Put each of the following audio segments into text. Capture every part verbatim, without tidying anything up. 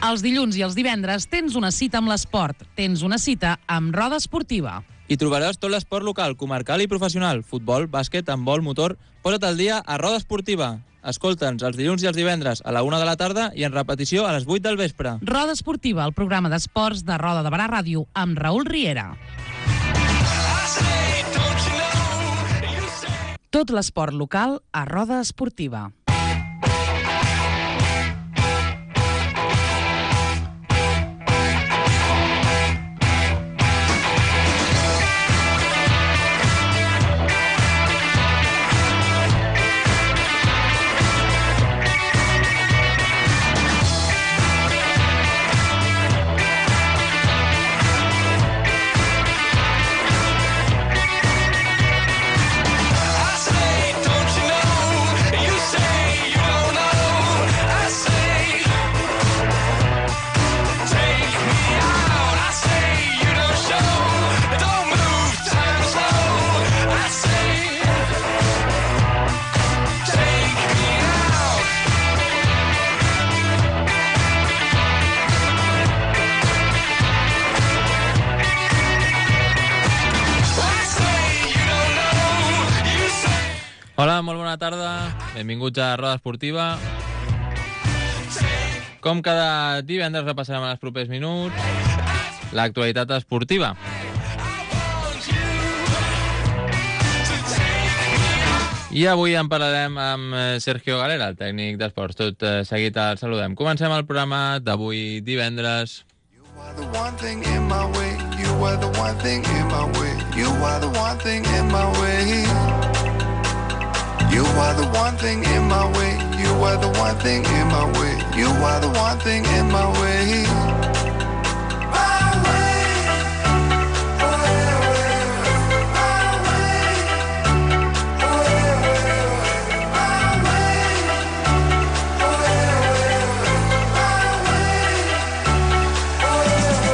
Els dilluns i els divendres tens una cita amb l'esport. Tens una cita amb Roda Esportiva. Hi trobaràs tot l'esport local, comarcal i professional. Futbol, bàsquet, handbol, motor... Posa't al dia a Roda Esportiva. Escolta'ns els dilluns i els divendres a la una de la tarda i en repetició a les vuit del vespre. Roda Esportiva, el programa d'esports de Roda de Barà Ràdio, amb Raül Riera. Tot l'esport local a Roda Esportiva. Hola, molt bona tarda. Benvinguts a Roda Esportiva. Com cada divendres repassarem en els propers minuts l'actualitat esportiva. I avui en parlarem amb Sergio Galera, el tècnic d'esports. Tot seguit el saludem. Comencem el programa d'avui divendres. You are the one thing in my way. You are the one thing in my way. You are the one thing in my way. You are the one thing in my way. You are the one thing in my way. You are the one thing in my way. My way. Oh, yeah, my way. Oh, yeah, my way. Oh, yeah, my way. Oh,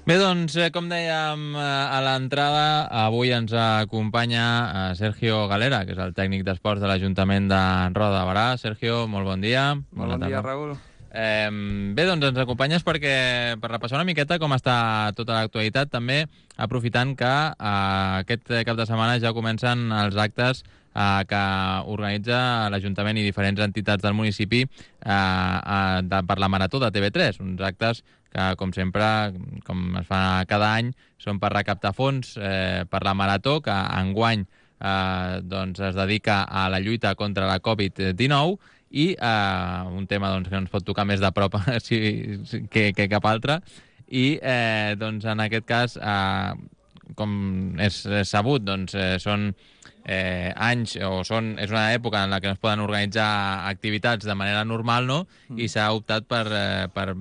Bé, doncs, com dèiem a l'entrada, avui ens acompanya Sergio Galera, que és el tècnic d'esports de l'Ajuntament de Roda de Barà. Sergio, molt bon dia. Molt bon dia, Raül. Eh, bé, doncs ens acompanyes perquè per repassar una miqueta com està tota l'actualitat, també aprofitant que eh, aquest cap de setmana ja comencen els actes eh, que organitza l'Ajuntament i diferents entitats del municipi eh, eh, de, per la Marató de T V tres, uns actes que, com sempre, com es fa cada any, són per recaptar fons eh, per la Marató, que enguany eh, doncs es dedica a la lluita contra la covid dinou, i eh, un tema doncs, que ens pot tocar més de prop si, si, que, que cap altre. I eh, doncs, en aquest cas, eh, com és, és sabut, doncs, eh, són eh, anys o són, és una època en la que no es poden organitzar activitats de manera normal, no? Mm. I s'ha optat per, eh, per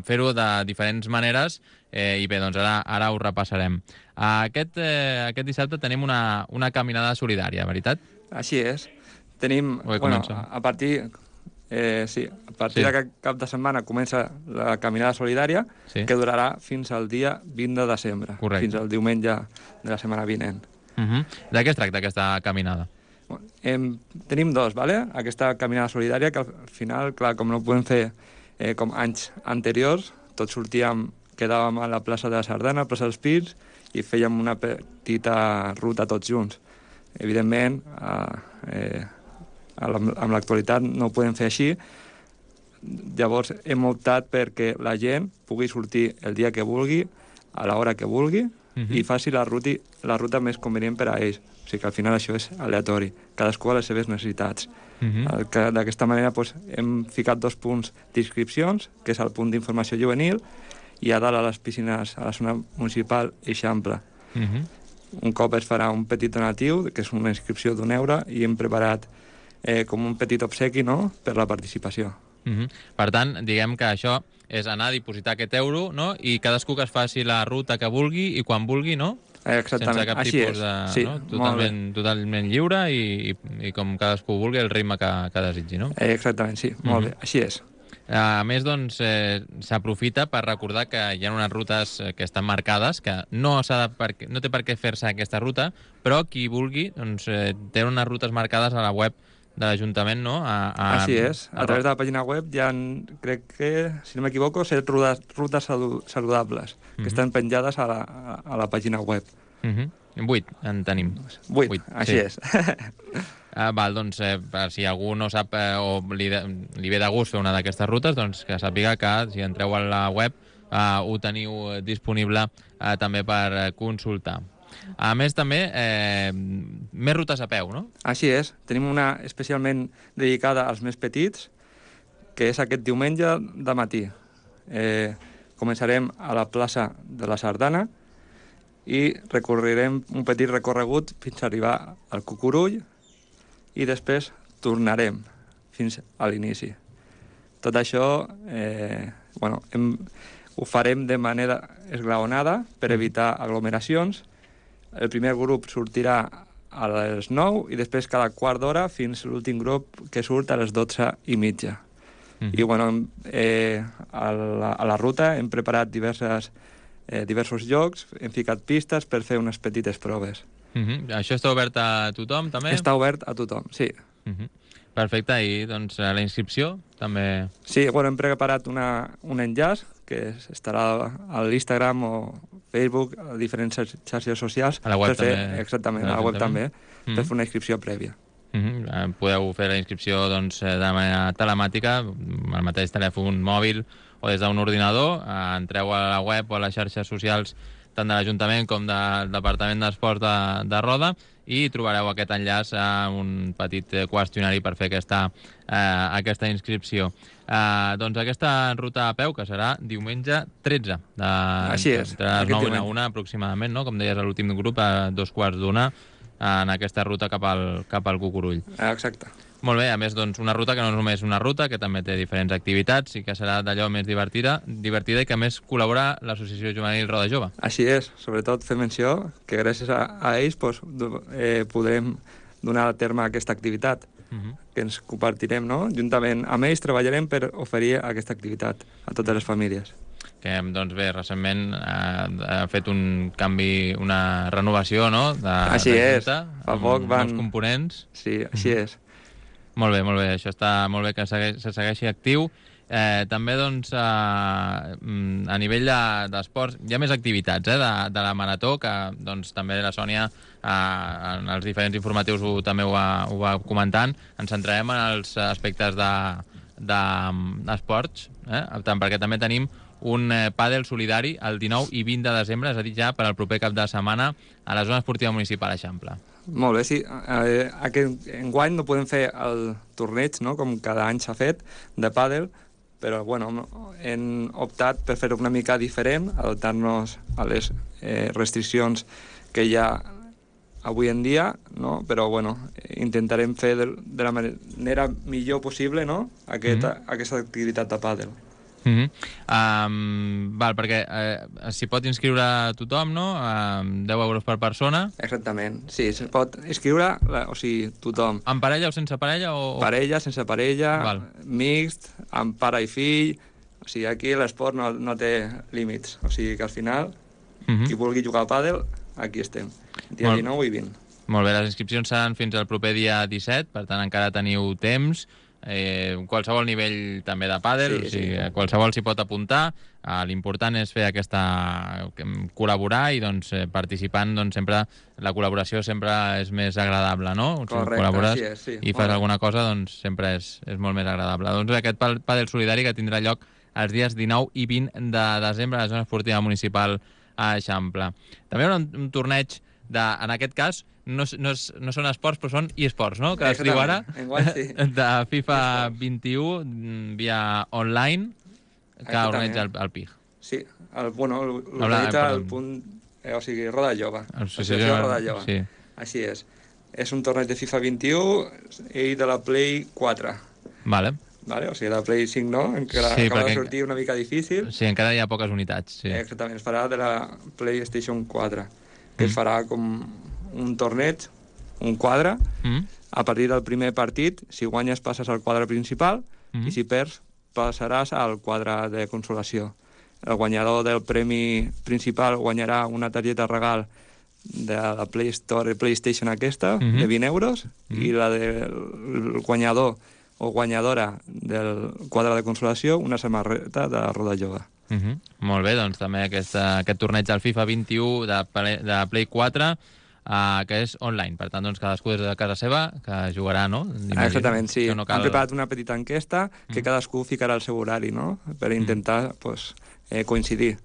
fer-ho de diferents maneres eh, i bé, doncs ara, ara ho repassarem. Aquest, eh, aquest dissabte tenim una, una caminada solidària, veritat? Així és. Tenim, bueno, a partir, eh, sí, a partir sí. d'aquest cap de setmana comença la caminada solidària, sí. que durarà fins al dia vint de desembre, correcte. Fins al diumenge de la setmana vinent. Uh-huh. De què es tracta aquesta caminada? Bueno, hem, tenim dos, ¿vale? Aquesta caminada solidària, que al final, clar, com no podem fer eh, com anys anteriors, tots sortíem, quedàvem a la plaça de la Sardana, a plaça dels Pins, i fèiem una petita ruta tots junts. Evidentment, eh, eh, amb l'actualitat no ho podem fer així, llavors hem optat perquè la gent pugui sortir el dia que vulgui, a l'hora que vulgui, uh-huh. i faci la ruta, la ruta més convenient per a ells. O sigui que al final això és aleatori, cadascú a les seves necessitats. Uh-huh. D'aquesta manera doncs, hem ficat dos punts d'inscripcions, que és el punt d'informació juvenil, i a dalt a les piscines, a la zona municipal, Eixample. Uh-huh. Un cop es farà un petit donatiu, que és una inscripció d'un euro, i hem preparat eh, com un petit obsequi, no?, per la participació. Uh-huh. Per tant, diguem que això és anar a dipositar aquest euro, no?, i cadascú que es faci la ruta que vulgui i quan vulgui, no?, Exactament, sense cap així tipus és. de... Sí, no? molt totalment, bé. totalment lliure i, i, i com cadascú vulgui el ritme que, que desitgi, no? Eh, exactament, sí, molt Mhm. bé, així és. A més, doncs, eh, s'aprofita per recordar que hi ha unes rutes eh, que estan marcades, que no, s'ha de per, no té per què fer-se aquesta ruta, però qui vulgui doncs, eh, té unes rutes marcades a la web de l'Ajuntament, no? A, a, Així és. A, a través de la pàgina web hi ha, crec que, si no m'equivoco, set rutes, rutes salu saludables que Mhm. estan penjades a la, a, a la pàgina web. Uh -huh. Vuit en tenim. Vuit, Vuit, així sí. és. Ah, val, doncs, eh, per si algú no sap eh, o li, de, li ve de gust fer una d'aquestes rutes, doncs que sàpiga que si entreu a la web eh, ho teniu eh, disponible eh, també per eh, consultar. A més, també, eh, més rutes a peu, no? Així és. Tenim una especialment dedicada als més petits, que és aquest diumenge de matí. Eh, començarem a la plaça de la Sardana i recorrerem un petit recorregut fins a arribar al Cucurull i després tornarem fins a l'inici. Tot això eh, bueno, hem, ho farem de manera esglaonada per evitar aglomeracions. El primer grup sortirà a les nou i després cada quart d'hora fins a l'últim grup que surt a les dotze i mitja. Mm. I bueno, eh, a, la, a la ruta hem preparat diverses, eh, diversos llocs, hem ficat pistes per fer unes petites proves. Uh -huh. Això està obert a tothom, també? Està obert a tothom, sí. Uh -huh. Perfecte, i doncs la inscripció també... Sí, bueno, hem preparat una, un enllaç que estarà a l'Instagram o Facebook, a diferents xarxes socials. A la web per fer, també. Exactament, a la web també, Mm -hmm. per fer una inscripció prèvia. Uh -huh. Podeu fer la inscripció doncs, de manera telemàtica, amb el mateix telèfon mòbil o des d'un ordinador. Entreu a la web o a les xarxes socials tant de l'Ajuntament com del Departament d'Esports de, de Roda i trobareu aquest enllaç a un petit qüestionari per fer aquesta, eh, aquesta inscripció. Eh, doncs aquesta ruta a peu, que serà diumenge tretze, de, Així és, entre les aquest nou i la diumenge. una aproximadament, no? Com deies, a l'últim grup, a dos quarts d'una, en aquesta ruta cap al, cap al Cucurull. Exacte. Molt bé, a més, doncs, una ruta que no és només una ruta, que també té diferents activitats i que serà d'allò més divertida, divertida i que a més col·labora l'Associació Juvenil Roda Jove. Així és, sobretot fer menció que gràcies a, a ells pues, eh, podrem donar a terme aquesta activitat, Uh -huh. que ens compartirem, no? Juntament amb ells treballarem per oferir aquesta activitat a totes les famílies. Que, doncs bé, recentment eh, ha fet un canvi, una renovació, no?, de, Així de és, junta, fa amb poc van... nous components. Sí, així Mhm. és. Molt bé, molt bé, això està molt bé que segueix, se segueixi actiu. Eh, també, doncs, a, a nivell d'esports, hi ha més activitats, eh, de, de la Marató, que, doncs, també la Sònia, eh, en els diferents informatius ho, també ho va, ho va comentant. Ens centrarem en els aspectes d'esports, de, de, eh, tant perquè també tenim un eh, pàdel solidari el dinou i vint de desembre, és a dir, ja per al proper cap de setmana a la zona esportiva municipal Eixample. Molt bé, sí. Eh, aquest enguany no podem fer el torneig, no?, com cada any s'ha fet, de pàdel, però bueno, hem optat per fer-ho una mica diferent, adaptar-nos a les eh, restriccions que hi ha avui en dia, no? Però bueno, intentarem fer de, de la manera millor possible, no?, aquesta, mm-hmm. aquesta activitat de pàdel. Mm -hmm. um, val, perquè eh, s'hi pot inscriure tothom, no? Um, deu euros per persona. Exactament, sí, se pot inscriure, o sigui, tothom. Amb parella o sense parella? O... Parella, sense parella, val. mixt, amb pare i fill, o sigui, aquí l'esport no, no té límits, o sigui que al final, mm -hmm. qui vulgui jugar al pàdel, aquí estem, dia Molt... dinou i vint. Molt bé, les inscripcions seran fins al proper dia disset, per tant encara teniu temps. Eh, qualsevol nivell també de pàdel, sí, o sigui, sí. qualsevol s'hi pot apuntar. Eh, l'important és fer aquesta... col·laborar i doncs, eh, participant, doncs, sempre la col·laboració sempre és més agradable, no? Correcte, si col·labores sí és, sí. i fas alguna cosa, doncs sempre és, és molt més agradable. Doncs aquest pàdel solidari que tindrà lloc els dies dinou i vint de desembre a la zona esportiva municipal a Eixample. També hi haurà un, un torneig de, en aquest cas, no, no, és, no són esports, però són e-sports, no?, que es diu ara, enguany, sí. de FIFA vint-i-u via online, que organitza el, el P I G. Sí, el, bueno, l'organitza el punt... Eh, o sigui, Roda Jove. Associació Roda Jove. Sí. Així és. és un torneig de FIFA vint-i-u i de la Play quatre. Vale. Vale? O sigui, de la Play cinc no, encara Sí, acaba perquè- de sortir una mica difícil. Sí, encara hi ha poques unitats, sí. Eh, Exactament, es farà de la PlayStation quatre, que es farà com un torneig, un quadre, Mm. a partir del primer partit, si guanyes passes al quadre principal, Mm. i si perds passaràs al quadre de consolació. El guanyador del premi principal guanyarà una targeta regal de la Play Store PlayStation aquesta, Mhm. de vint euros, i la del guanyador o guanyadora del quadre de consolació, una samarreta de Roda Yoga. Uh -huh. Molt bé, doncs també aquesta, aquest torneig del FIFA vint-i-u de, Play, de Play quatre, uh, que és online. Per tant, doncs, cadascú des de casa seva que jugarà, no? Imagino. Exactament, sí. Que no cal... Han preparat una petita enquesta que Mm. cadascú ficarà el seu horari, no?, per intentar pues, eh, coincidir.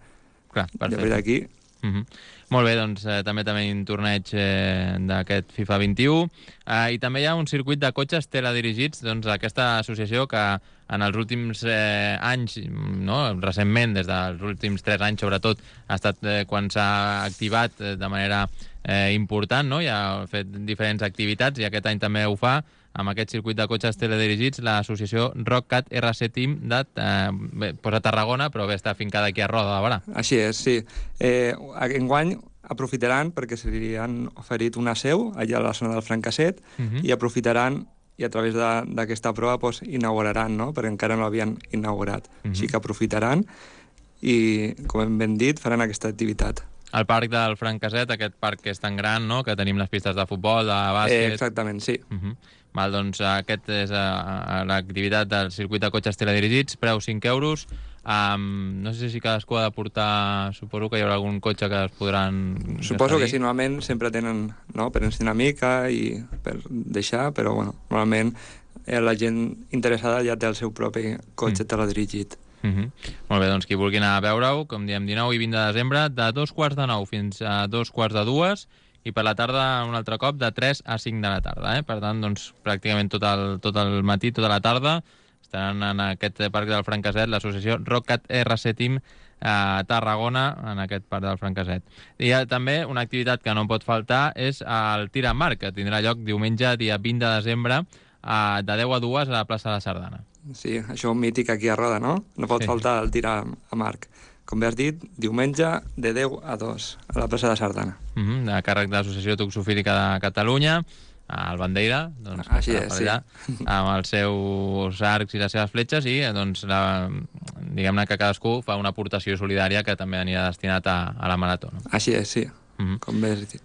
Clar, I a perfecte. partir d'aquí, Uh -huh. Molt bé, doncs eh, també tenim un torneig eh, d'aquest FIFA vint-i-u eh, i també hi ha un circuit de cotxes teledirigits, doncs aquesta associació que en els últims eh, anys, no, recentment, des dels últims tres anys sobretot, ha estat eh, quan s'ha activat eh, de manera eh, important, no? I ha fet diferents activitats i aquest any també ho fa amb aquest circuit de cotxes teledirigits, l'associació RockCat R C Team de eh, bé, pues a Tarragona, però bé, està afincada aquí a Roda de Barà. així és, sí. Eh, enguany aprofitaran perquè se li han oferit una seu allà a la zona del Francasset Uh -huh. i aprofitaran i a través de- d'aquesta prova pues, inauguraran, no?, perquè encara no l'havien inaugurat. Mhm. Així que aprofitaran i, com hem ben dit, faran aquesta activitat. El parc del Francasset, aquest parc que és tan gran, no?, que tenim les pistes de futbol, de Eh, bàsquet... exactament, sí. Uh -huh. Val, doncs aquest és uh, l'activitat del circuit de cotxes teledirigits, preu cinc euros. Um, no sé si cadascú ha de portar... Suposo que hi haurà algun cotxe que es podran... Suposo que cedir. sí, normalment sempre tenen, no?, per ensenyar una mica i per deixar, però bueno, normalment eh, la gent interessada ja té el seu propi cotxe Mm. teledirigit. Uh -huh. Molt bé, doncs qui vulgui anar a veure-ho, com diem, dinou i vint de desembre, de dos quarts de nou fins a dos quarts de dues, i per la tarda un altre cop de tres a cinc de la tarda. Eh? Per tant, doncs, pràcticament tot el, tot el matí, tota la tarda, estaran en aquest parc del Francasset, l'associació RockCat R C Team a Tarragona, en aquest parc del Francasset. I hi ha també una activitat que no pot faltar, és el tir amb arc, que tindrà lloc diumenge, dia vint de desembre, a, de deu a dues a la plaça de la Sardana. Sí, això és mític aquí a Roda, no? No pot Sí. faltar el tir a, a marc. Com bé has dit, diumenge de deu a dos a la plaça de Sardana. Uh -huh, de càrrec de l'Associació Toxofílica de Catalunya, el Bandeira, doncs, Així que és, estarà sí. allà, amb els seus arcs i les seves fletxes, i doncs, la, diguem-ne que cadascú fa una aportació solidària que també anirà destinat a, a la marató. No? Així és, sí, Uh -huh. com bé has dit.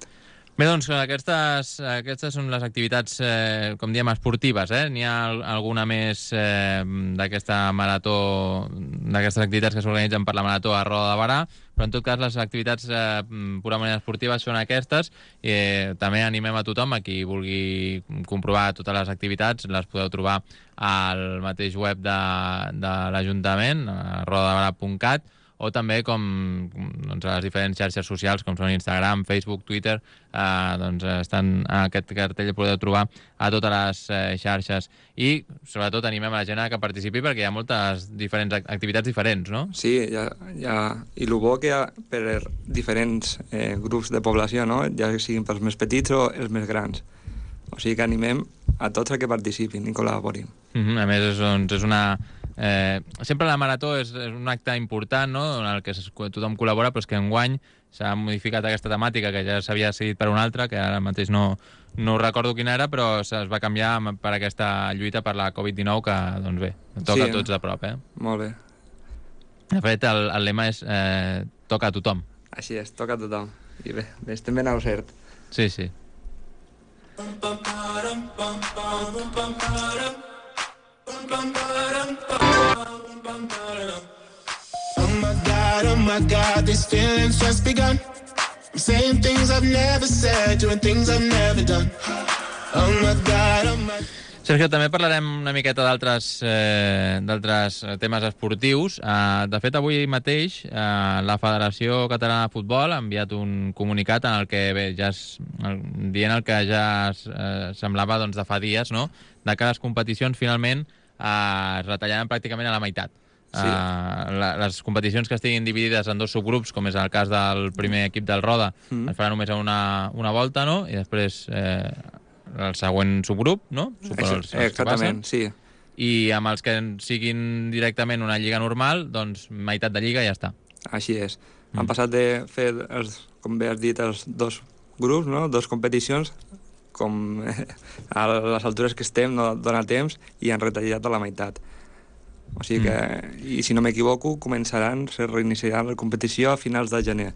Bé, doncs aquestes, aquestes són les activitats, eh, com diem, esportives. Eh? N'hi ha al- alguna més eh, d'aquesta marató, d'aquestes activitats que s'organitzen per la marató a Roda de Barà, però en tot cas les activitats eh, purament esportives són aquestes. I eh, també animem a tothom, a qui vulgui comprovar totes les activitats, les podeu trobar al mateix web de, de l'Ajuntament, a rodadebarà punt cat, o també com doncs, a les diferents xarxes socials, com són Instagram, Facebook, Twitter, eh, doncs estan aquest cartell, podeu trobar a totes les eh, xarxes. I, sobretot, animem a la gent a que participi perquè hi ha moltes diferents ac- activitats diferents, no? Sí, ja, ja, i el bo que hi ha per diferents eh, grups de població, no?, ja siguin pels més petits o els més grans. O sigui que animem a tots a que participin i col·laborin. Mm -hmm. A més, és, doncs, és una... Eh, sempre la marató és, és un acte important, no?, en el que es, tothom col·labora, però és que enguany s'ha modificat aquesta temàtica, que ja s'havia seguit per una altra, que ara mateix no, no recordo quina era, però es va canviar per aquesta lluita per la covid dinou, que, doncs bé, toca Sí, a tots de prop, eh? Molt bé. De fet, el, el lema és eh, toca a tothom. Així és, toca a tothom. I bé, bé estem ben al cert. Sí, sí. Oh my God, oh my God, these feelings just begun. I'm saying things I've never said, doing things I've never done. Oh my God, oh my God. Sergio, també parlarem una miqueta d'altres eh, d'altres temes esportius. Eh, de fet, avui mateix eh, la Federació Catalana de Futbol ha enviat un comunicat en el que, bé, ja es, el, dient el que ja es, eh, semblava doncs, de fa dies, no?, de que les competicions finalment eh, es retallaran pràcticament a la meitat. Sí. Uh, la, les competicions que estiguin dividides en dos subgrups, com és el cas del primer equip del Roda, mm. es farà només una, una volta, no?, i després eh, el següent subgrup, no? Super, els, els Exactament, sí. I amb els que siguin directament una lliga normal, doncs meitat de lliga i ja està. Així és. Mm. Han passat de fer, els, com bé has dit, els dos grups, no? Dos competicions, com a les altures que estem no dona temps, i han retallat a la meitat. O sigui que, mm. i si no m'equivoco, començaran, se reiniciaran la competició a finals de gener.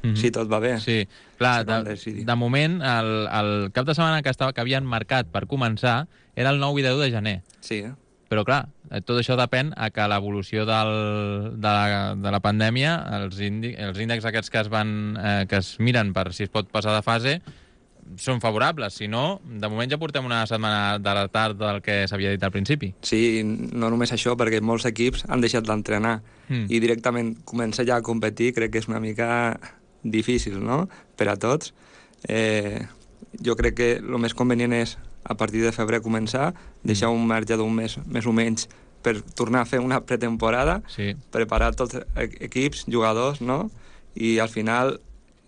Mm-hmm. Si tot va bé. Sí, clar, de, de moment, el, el cap de setmana que, estava, que havien marcat per començar era el nou i deu de gener. Sí, eh? Però, clar, tot això depèn a que l'evolució del, de, la, de la pandèmia, els, indi, els índexs aquests que es, van, eh, que es miren per si es pot passar de fase, són favorables. Si no, de moment ja portem una setmana de retard del que s'havia dit al principi. Sí, no només això, perquè molts equips han deixat d'entrenar mm. i directament començar ja a competir crec que és una mica difícil, no?, per a tots. Eh, jo crec que el més convenient és a partir de febrer començar, deixar un marge d'un mes més o menys per tornar a fer una pretemporada, sí. preparar tots els equips, jugadors, no? I al final,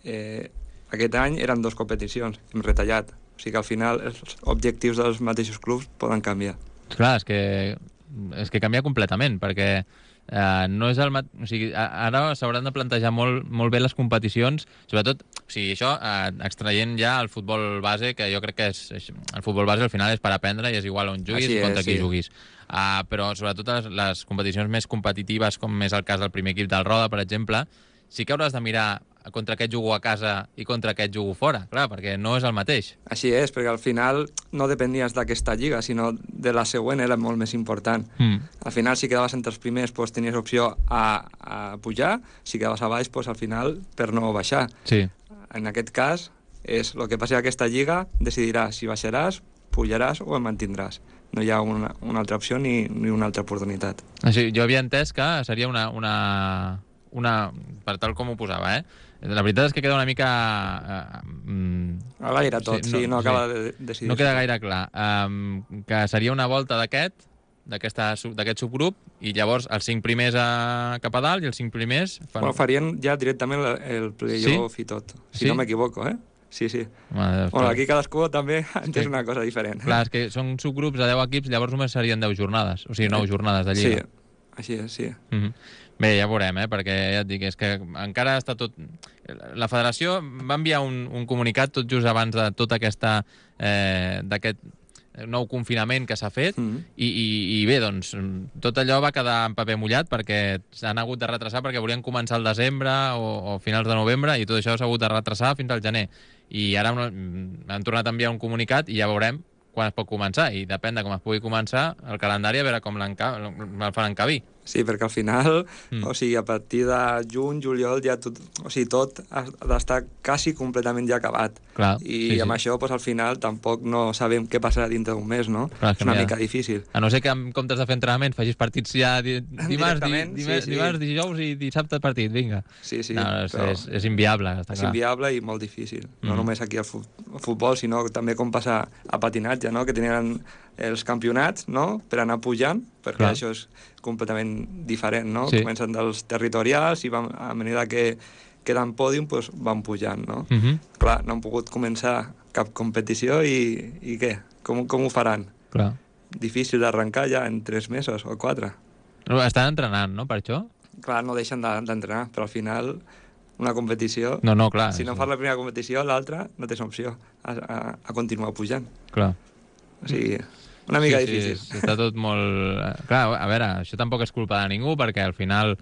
eh, aquest any eren dues competicions, hem retallat. O sigui que al final els objectius dels mateixos clubs poden canviar. Clar, és que, és que canvia completament, perquè Uh, no és el mat... o sigui, ara s'hauran de plantejar molt, molt bé les competicions, sobretot, o sigui, això uh, extraient ja el futbol base, que jo crec que és, el futbol base al final és per aprendre i és igual on juguis i contra qui sí. juguis. Uh, però sobretot les, les competicions més competitives, com és el cas del primer equip del Roda, per exemple, sí que hauràs de mirar contra aquest jugo a casa i contra aquest jugo fora, clar, perquè no és el mateix. Així és, perquè al final no depenies d'aquesta lliga, sinó de la següent era molt més important. Mm. Al final, si quedaves entre els primers, pues, tenies opció a, a pujar, si quedaves a baix, pues, al final, per no baixar. Sí. En aquest cas, és el que passi a aquesta lliga, decidirà si baixaràs, pujaràs o et mantindràs. No hi ha una, una altra opció ni, ni una altra oportunitat. Així, jo havia entès que seria una, una, una... per tal com ho posava, eh? La veritat és que queda una mica... Uh, a l'aire tot, sí, no, sí, no acaba sí. de decidir. No queda gaire clar. Um, que seria una volta d'aquest, d'aquest subgrup, i llavors els cinc primers a, cap a dalt i els cinc primers... Fan... Bueno, farien ja directament el, el play-off sí? I tot, si sí? No m'equivoco, eh? Sí, sí. Bueno, bueno, aquí cadascú també entén una cosa diferent. Clar, és que són subgrups de deu equips, llavors només serien deu jornades, o sigui, nou jornades de lliga. Sí, així és, sí. Mm-hmm. Bé, ja veurem, eh? Perquè ja et dic, és que encara està tot... La federació va enviar un, un comunicat tot just abans de tota aquesta... Eh, d'aquest nou confinament que s'ha fet mm-hmm. i, i, i bé, doncs, tot allò va quedar en paper mullat perquè s'han hagut de retrasar perquè volien començar al desembre o, o finals de novembre i tot això s'ha hagut de retrasar fins al gener. I ara han tornat a enviar un comunicat i ja veurem quan es pot començar, i depèn de com es pugui començar el calendari, a veure com el faran encabir. Sí, perquè al final, mm. o sigui, a partir de juny, juliol, ja tot, o sigui, tot ha d'estar quasi completament ja acabat. Clar, I sí, amb sí. això, pues, al final, tampoc no sabem què passarà dintre d'un mes, no? Clar, és una mica difícil. A no ser que en comptes de fer entrenament facis partits ja di dimarts, di dimarts, sí, sí. dimarts, dijous i dissabte partit, vinga. Sí, sí. No, és, és, és inviable, està és clar. És inviable i molt difícil. No mm. només aquí al futbol, sinó també com passa a patinatge, no? Que tenien els campionats, no?, per anar pujant, perquè clar. Això és completament diferent, no? Sí. Comencen dels territorials i van, a mesura que queden pòdium, doncs van pujant, no? Mm -hmm. Clar, no han pogut començar cap competició i, i què? Com, com ho faran? Clar. Difícil d'arrencar ja en tres mesos o quatre. Estan entrenant, no?, per això? Clar, no deixen d'entrenar, però al final una competició... No, no, clar. Si no sí. fas la primera competició, l'altra no tens opció a, a, a continuar pujant. Clar. O sigui... Una mica sí, difícil. Sí, està tot molt... Clar, a veure, això tampoc és culpa de ningú, perquè al final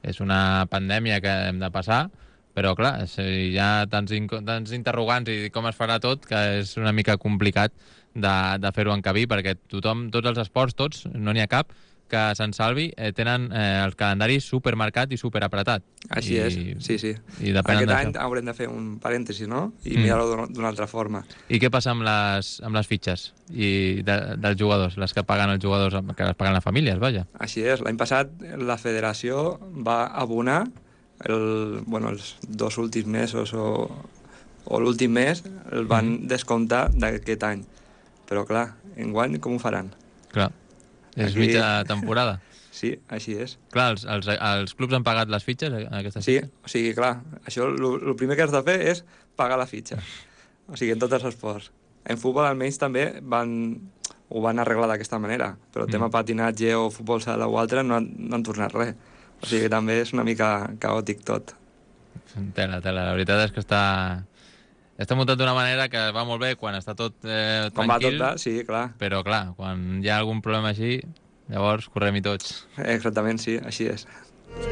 és una pandèmia que hem de passar, però clar, hi ha tants, tants interrogants i com es farà tot que és una mica complicat de, de fer-ho encabir, perquè tothom, tots els esports, tots, no n'hi ha cap, que se'n salvi, eh, tenen eh, el calendari supermarcat i superapretat. Així I, és, sí, sí. I Aquest any haurem de fer un parèntesi, no? I mm. mirar-ho d'una altra forma. I què passa amb les, amb les fitxes i de, dels jugadors, les que paguen els jugadors, que les paguen les famílies, vaja? Així és. L'any passat la federació va abonar el, bueno, els dos últims mesos o, o l'últim mes el van mm. descomptar d'aquest any. Però clar, enguany com ho faran? Clar. És Aquí... mitja temporada. Sí, així és. Clar, els, els, els clubs han pagat les fitxes? Aquestes sí, fitxes? O sigui, clar, això el primer que has de fer és pagar la fitxa. O sigui, en tots els esports. En futbol almenys també van, ho van arreglar d'aquesta manera, però el tema Mm. patinatge o futbol sala o altre no han, no han tornat res. O sigui que també és una mica caòtic tot. Tela, tela. La veritat és que està... Està muntat d'una manera que va molt bé quan està tot eh, Com va tot, tranquil, va? Sí, clar. però clar, quan hi ha algun problema així, llavors correm-hi tots. Exactament, sí, així és.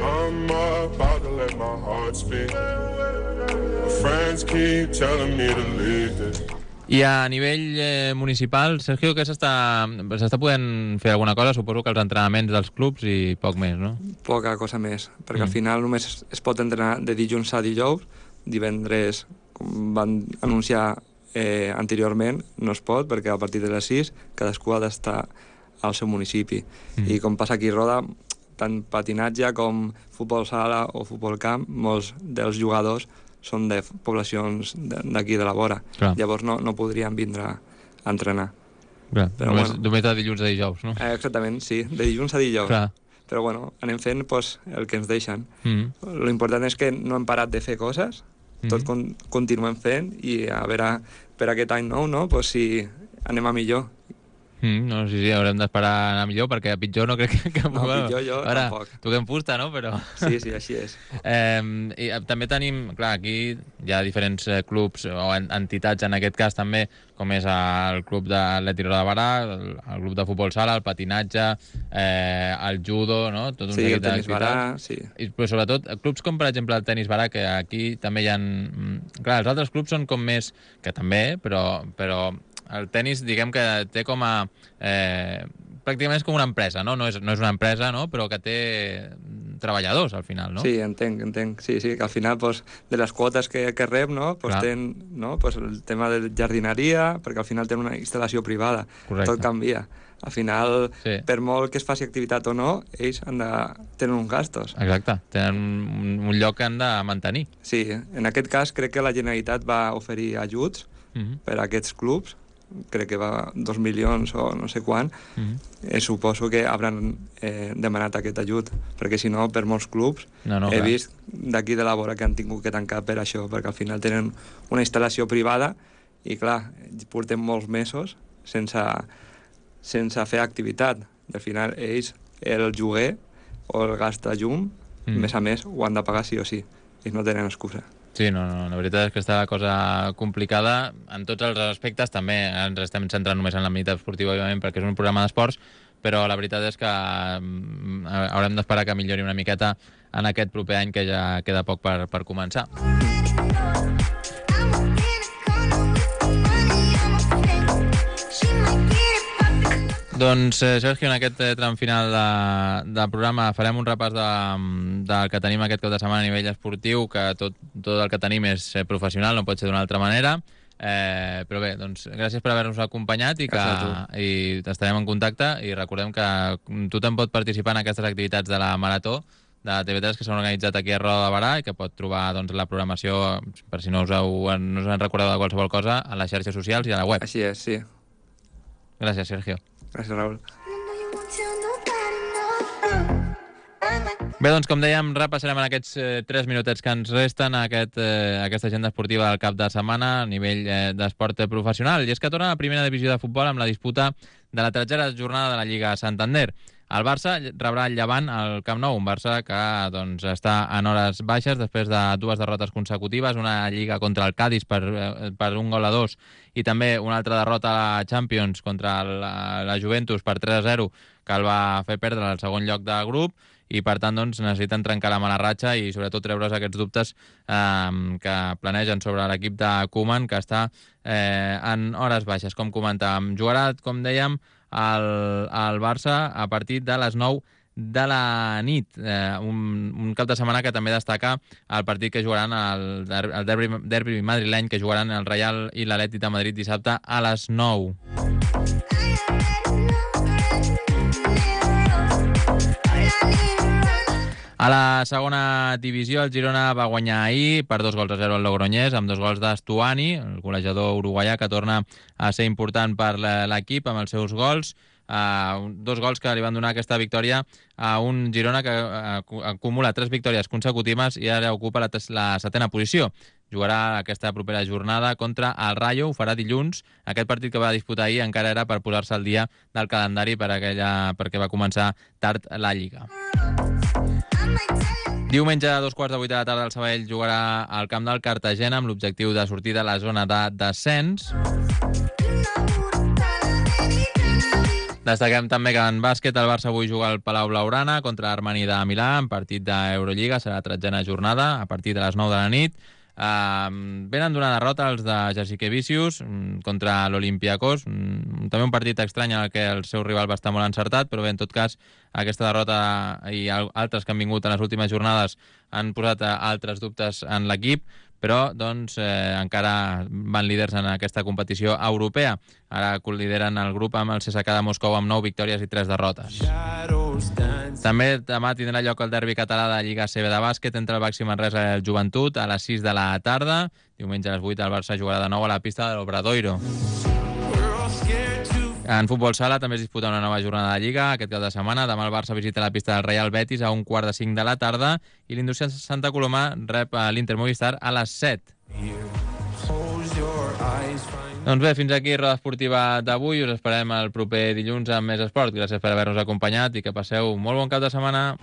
I'm about to let my heart speak. My friends keep telling me to leave this. I a nivell eh, municipal, Sergio, que s'està s'està podent fer alguna cosa? Suposo que els entrenaments dels clubs i poc més, no? Poca cosa més, perquè Mm. al final només es, es pot entrenar de dilluns a dijous, divendres, com van anunciar eh, anteriorment, no es pot, perquè a partir de les sis cadascú ha d'estar al seu municipi. Mm. I com passa aquí a Roda, tant patinatge com futbol sala o futbol camp, molts dels jugadors són de poblacions de- d'aquí de la vora. Clar. Llavors no, no podrien vindre a entrenar. Clar, Però només, bueno. només de dilluns a dijous, no? Eh, exactament, sí, de dilluns a dijous. Clar. Però bueno, anem fent pues, el que ens deixen. Mm. Lo important és que no hem parat de fer coses, tot Mhm. con continuem fent i a veure per aquest any nou, no? Pues si anem a millor. Mm, no, sí, sí, haurem d'esperar a anar millor, perquè a pitjor no crec que... que No, pitjor jo Ara, tampoc. toquem fusta, no? Però... Sí, sí, així és. Eh, i eh, també tenim, clar, aquí hi ha diferents eh, clubs o en, entitats en aquest cas també, com és el club d'Atlètic Roda de Barà, el, el club de futbol sala, el patinatge, eh, el judo, no? Tot un Sí, seguit el tenis d'activitats. barà, sí. I, però sobretot clubs com per exemple el tenis barà, que aquí també hi ha... mm, Clar, els altres clubs són com més... que també, però, però el tenis diguem que té com a... Eh, pràcticament és com una empresa, no? No és, no és una empresa, no? Però que té treballadors al final, no? Sí, entenc, entenc. Sí, sí, que al final pues, de les quotes que, que rep, no? Pues, Clar. ten, no? Pues, el tema de jardineria, perquè al final té una instal·lació privada. Correcte. Tot canvia. Al final, Sí. per molt que es faci activitat o no, ells han de tenen uns gastos. Exacte, tenen un, un lloc que han de mantenir. Sí, en aquest cas crec que la Generalitat va oferir ajuts Mm -hmm. per a aquests clubs, crec que va dos milions o no sé quan, Mm -hmm. eh, suposo que hauran eh, demanat aquest ajut, perquè si no, per molts clubs No, no, he clar. vist d'aquí de la vora que han tingut que tancar per això, perquè al final tenen una instal·lació privada i clar, portem molts mesos sense, sense fer activitat, i al final ells el lloguer o el gas de llum, Mm. mm. més a més, ho han de pagar sí o sí, ells no tenen excusa. Sí, no, no, la veritat és que està la cosa complicada en tots els aspectes, també ens estem centrant només en l'àmbit esportiu, òbviament, perquè és un programa d'esports, però la veritat és que mm, haurem d'esperar que millori una miqueta en aquest proper any, que ja queda poc per, per començar. Doncs, eh, Sergio, en aquest eh, tram final de, del programa farem un repàs de, del que tenim aquest cap de setmana a nivell esportiu, que tot, tot el que tenim és eh, professional, no pot ser d'una altra manera. Eh, però bé, doncs gràcies per haver-nos acompanyat i que i estarem en contacte, i recordem que tothom pot participar en aquestes activitats de la Marató de T V tres que s'han organitzat aquí a Roda de Barà i que pot trobar doncs, la programació, per si no us, heu, no us han recordat de qualsevol cosa, a les xarxes socials i a la web. Així és, sí. Gràcies, Sergio. Gràcies, Raül. Bé, doncs, com dèiem, repassarem en aquests eh, tres minutets que ens resten aquest, eh, aquesta agenda esportiva del cap de setmana a nivell eh, d'esport professional. I és que torna a la primera divisió de futbol amb la disputa de la tercera jornada de la Lliga Santander. El Barça rebrà el Llevant al Camp Nou, un Barça que doncs, està en hores baixes després de dues derrotes consecutives, una Lliga contra el Cádiz per, eh, per un gol a dos i també una altra derrota a la Champions contra la, la Juventus per tres a zero, que el va fer perdre al segon lloc de grup, i per tant doncs, necessiten trencar la mala ratxa i sobretot treure's aquests dubtes eh, que planegen sobre l'equip de Koeman, que està eh, en hores baixes, com comentàvem. Jugarà, com dèiem, el, el Barça a partir de les nou de la nit, eh, un, un cap de setmana que també destaca el partit que jugaran el, el derbi, derbi madrileny, que jugaran el Real i l'Atlètic de Madrid dissabte a les nou. A la segona divisió, el Girona va guanyar ahir per dos gols a zero al Logroñés, amb dos gols d'Estuani, el golejador uruguaià, que torna a ser important per l'equip amb els seus gols. Uh, dos gols que li van donar aquesta victòria a un Girona que uh, acumula tres victòries consecutives i ara ocupa la, la setena posició. jugarà aquesta propera jornada contra el Rayo, ho farà dilluns. Aquest partit que va disputar ahir encara era per posar-se al dia del calendari per aquella, perquè va començar tard la Lliga. Diumenge a dos quarts de vuit de la tarda el Sabadell jugarà al camp del Cartagena amb l'objectiu de sortir de la zona de descens. Destaquem també que en bàsquet el Barça avui juga al Palau Blaugrana contra l'Armani de Milà en partit d'Eurolliga, serà la tretzena jornada a partir de les nou de la nit. Uh, venen d'una derrota els de Jasikevičius um, contra l'Olympiakos, um, també un partit estrany en el que el seu rival va estar molt encertat, però bé, en tot cas aquesta derrota i altres que han vingut en les últimes jornades han posat uh, altres dubtes en l'equip, però doncs eh, encara van líders en aquesta competició europea. Ara lideren el grup amb el C S K A de Moscou amb nou victòries i tres derrotes. També demà tindrà lloc el derbi català de Lliga C B de bàsquet entre el Baxi Manresa i el Joventut a les sis de la tarda. Diumenge a les vuit el Barça jugarà de nou a la pista de l'Obradoiro. En futbol sala també es disputa una nova jornada de Lliga aquest cap de setmana. Demà el Barça visita la pista del Real Betis a un quart de cinc de la tarda i l'Indústria Santa Coloma rep l'Inter Movistar a les set. Doncs bé, fins aquí Roda Esportiva d'avui. Us esperem el proper dilluns amb més esport. Gràcies per haver-nos acompanyat i que passeu molt bon cap de setmana.